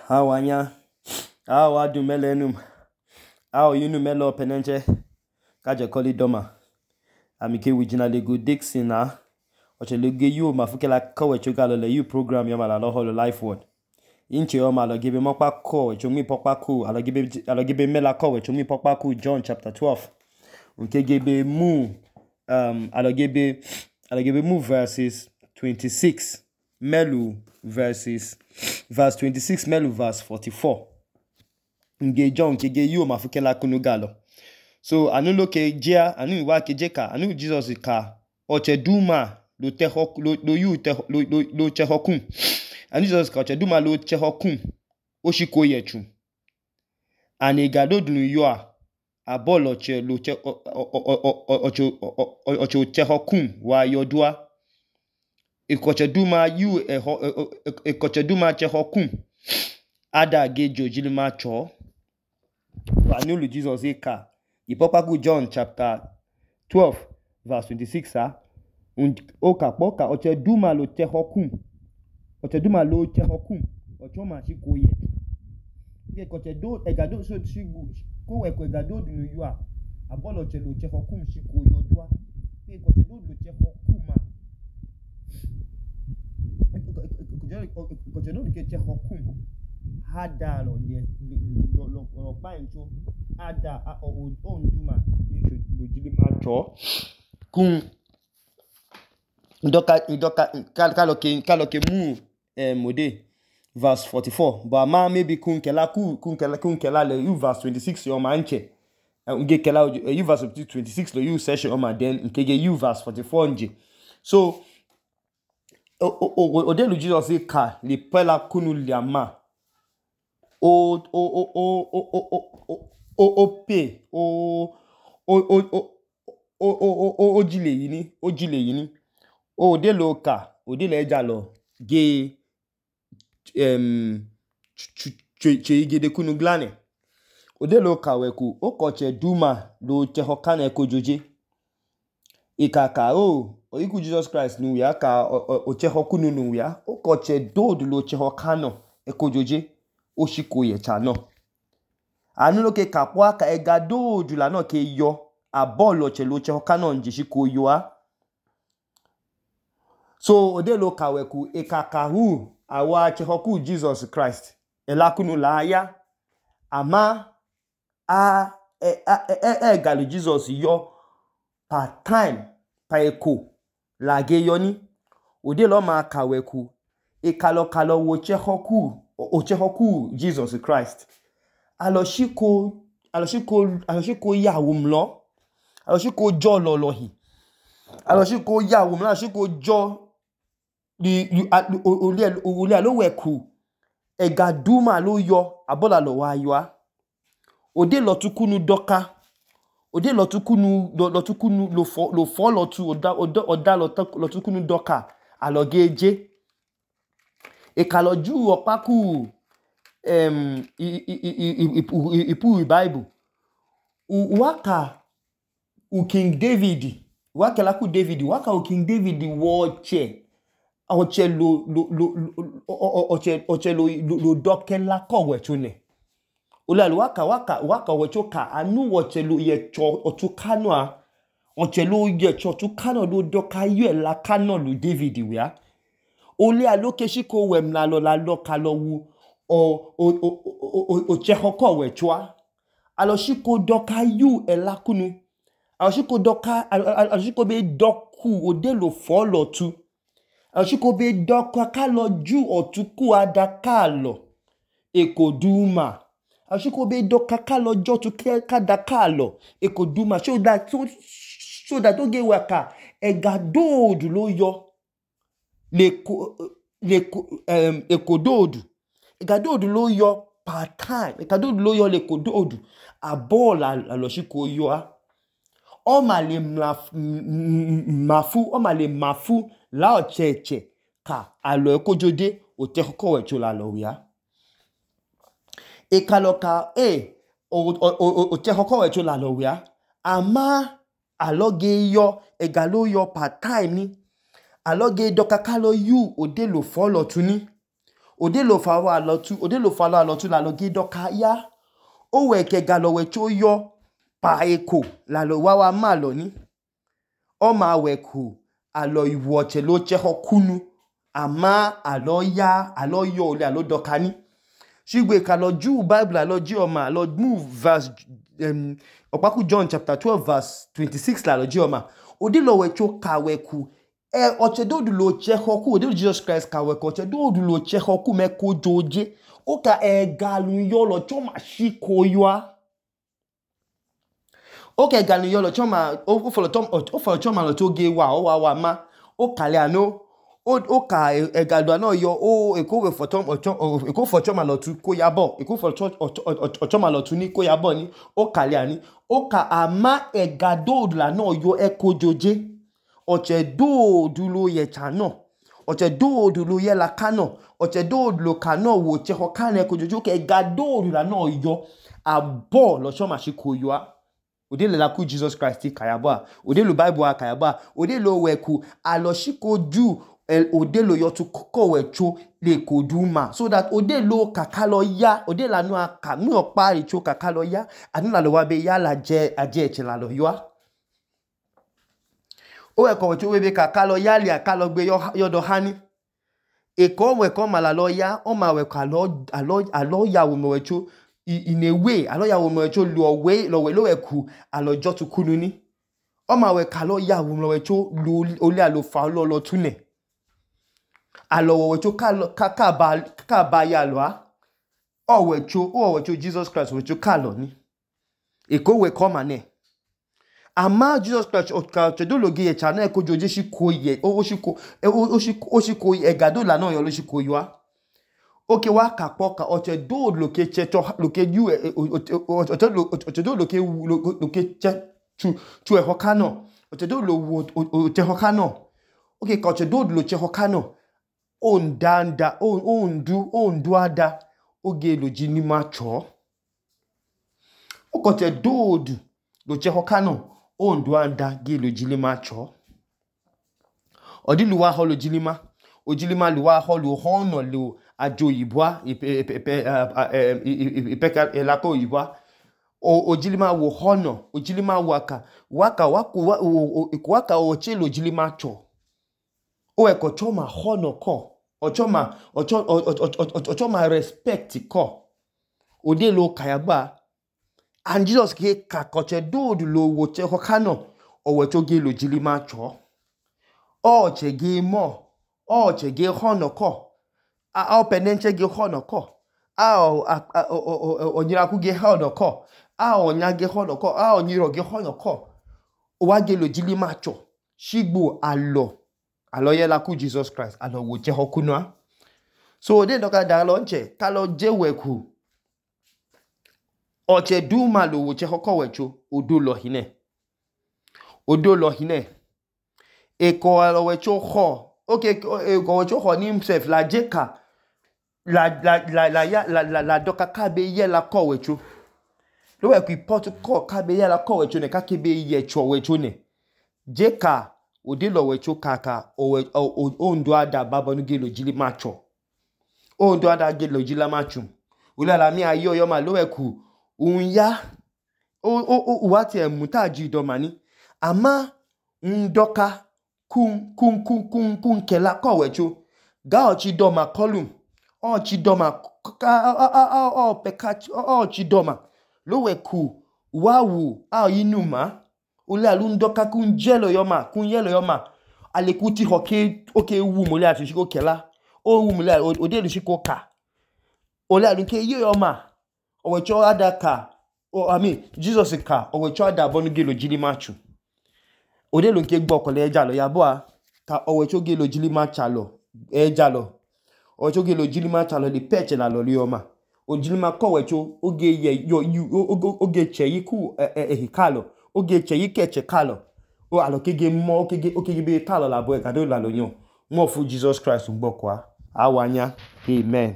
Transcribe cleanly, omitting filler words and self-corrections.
Awanya, awa du melenum, awa yunu melo penenche, kaje koli doma. Amike wijina lego Dixon na, oche lege yu mafuke la kowe chogalo le yu program yoma la holo life word. Inche yoma alo gibe mokpa ko, chongi pokpa ku, alo gibe mela kowe chongi pokpa ku John chapter 12. Unke gibe alo gibe mu verses 26 melu verse 26 melu verse 44. Nge John ke ge yu mafuke la kunu galo. So anu lo ke jia, anu iwa ke jeka, anu Jesus ka oche duma lo tehok lo chehokun. Anu Jesus ka oche duma lo chehokun oshiko yechu. Ani gado dunu yua abol oche chehokun wa yodua. Ekoche duma yu ekoche duma chehokun ada ge jojilima cho. Anu lo Jesus ka ipopaku John chapter 12 verse 26 Oka oche duma lo chehokun. Oche duma lo chehokun. Ocho ma shiko ye. Ke koche do egado so shigu ko egado dunu yua abol oche lo chehokun shiko yodua. Ke koche do lo chehokun ma. Koche do lo chehokun hada lo pa encho ada onduma lo jilima cho kun kaloke mu mode verse 44 but ma maybe kun kela le you verse 26 yo manche nge kela you verse 26 lo you session o ma then nkege you verse 44 nje so odelu Jesus ka le pela kunu liama ojile yini odelo ka odele ejalo ge igede kunu glane odelo ka weku okoche duma lo chehokane kojoje ikaka oyiku Jesus Christ nu ya ka ochehokunu nu ya okoche dodu lo chehokano ekojoje oshiko ye chano anu lo ke kapwa ka egado dula no ke yo abolo che lo chehokano nje shiko yo a so odelo ka weku ikaka hu awa chehoku Jesus Christ elakunu la ya ama galu Jesus yo part time pa eko la ge yoni odelo ma ka weku ikalo wo chehoku Jesus Christ aloshiko yawo mlo aloshiko jo lolohi aloshiko yawo mlo aloshiko jo oli alo weku egaduma lo yo abola lo wa yo ode lo tukunu doka ode lo tukunu lo fo lo tu oda lo tukunu doka alogeje ekaloju opaku ipu Bible waka King David waka la ku David waka King David oche lo dokela kowe chune olalu waka wechoka anu oche lo ye cho otukano a oche lo ye cho otukano lo doka yu la kano lo David wia ole aloke shiko wem la lo kalo wu o chehoko wechwa alo shiko doka yu elakunu alo shiko be doku odelo follow tu alo shiko be doka kalo ju otuku adakalo ekoduma alo shiko be doka kalo jo tu kadakalo ekoduma so that oge waka egadodu lo yo ekododu egadodu lo yo part time egadodu lo yo lekododu abola aloshiko yo a o male mafu la ocheche ka alo ekojode oteko wecho la lo ya ekaloka oteko wecho la lo ya ama aloge yo egalo yo part time ni aloge doka kalo yu odelo follow tuni odelo fawo alotu lalo gidoka ya owe kega lo wecho yo pa eko lalo wawa malo ni oma weku alo iwoche lo cheho kunu ama alo yo ole alo dokani shigwe kalo Jew Bible alo ji oma alo move verse Okpaku John chapter 12 verse 26 lalo ji oma odelo wecho ka weku ochedodu lo cheho ku odelo Jesus Christ ka weku ochedodu lo cheho ku meko joje oka galu yo lo choma shiko yoa oke galu yo lo choma o follow choma lo toge wa ma o kale ano o ka galu ano yo eko we for choma lo tu ko yabo eko for choma lo tu ni ko yabo ni o kale ani o ka ama egadodu la no yo eko joje ochedodu lo ye chano ochedodu lo ye la kano ochedodu lo kano wo cheho kane eko jojo ke egadodu la no yo abo lo choma shiko yoa odele la ku Jesus Christ kayaba odele Bible kayaba odele weku alo shiko ju odele yo tu koko wecho le koduma so that odele kakalo ya odele anu aka mi opa icho kakalo ya anu la lo wa be ya la je aje eche la lo yoa o weko wecho webe kakalo ya li akalo gbe yo do hani eko weko mala lo ya o ma weko alo ya wo wecho in a way alo ya wo wecho lo weku alo jo tu kunu ni o ma we kalo ya wo wecho ole alo fa lo tune alo wo wecho ka ba ya lo a o wecho Jesus Christ wecho kalo ni eko we come ane ama Jesus Christ ochedogi ye chana eko joje shiko ye o shiko egado la no yo lo shiko yo a oke wa kapoka ochedo loke checho loke yu ochedo loke chu ehokano ochedo lo tehokano oke ka ochedo lo chehokano ondu ada oge lo jini macho ochedo lo chehokano ondu ada ge lo jini macho odiluwa holo jilima ojilima luwa holo hono lo ajo yibwa ipeka elako yibwa ojilima wo hono ojilima waka ochelo jilima cho o eko choma hono ko ochoma respect ko ode lo kayaba and Jesus ke kakoche dodu lo wo che hokano o wecho ge lo jilima cho o che ge mo o che ge hono ko a penenche ge hono ko onyiraku ge hono ko onya ge hono ko onyiro ge hono ko o wa ge lo jili macho shigbo alo ye la ku Jesus Christ alo wo che hokunwa so de doka da lo nche kalo je weku oche duma lo wo che hoko wecho odo lo hine eko alo wecho ho okay eko wecho ho ni himself la jeka la doka kabe ye la ko wecho lo we ku pot ko kabe ye la ko wecho ne ka kebe ye cho wecho ne jeka odilo wecho kaka o ndo ada babonu gelo jili macho o ndo ada gelo jila macho ulala mi ayo yo ma lo we ku unya o wati emutaji do mani ama ndoka kun kela ko wecho ga ochi do ma column o chidoma o pekachi o chidoma lo weku wawu inuma ule alundoka kun yelo yoma alekuti hoke oke wu mole ati shiko kela o wu mole ode lu shiko ka ole alunke yoma o wecho adaka Jesus ka o wecho ada bonu gelo jili machu ode lu nke gbo kole eja lo yabo a ka o wecho gelo jili machalo eja lo ochoge lo jilima chalo li peche la loli oma o jilima ko wecho oge ye oge cheyi ku ehikalo oge cheyi keche kalo o alokege mo okege be kalo la bo e kado la lo yan mo fu Jesus Christ ngbo kwa awanya amen.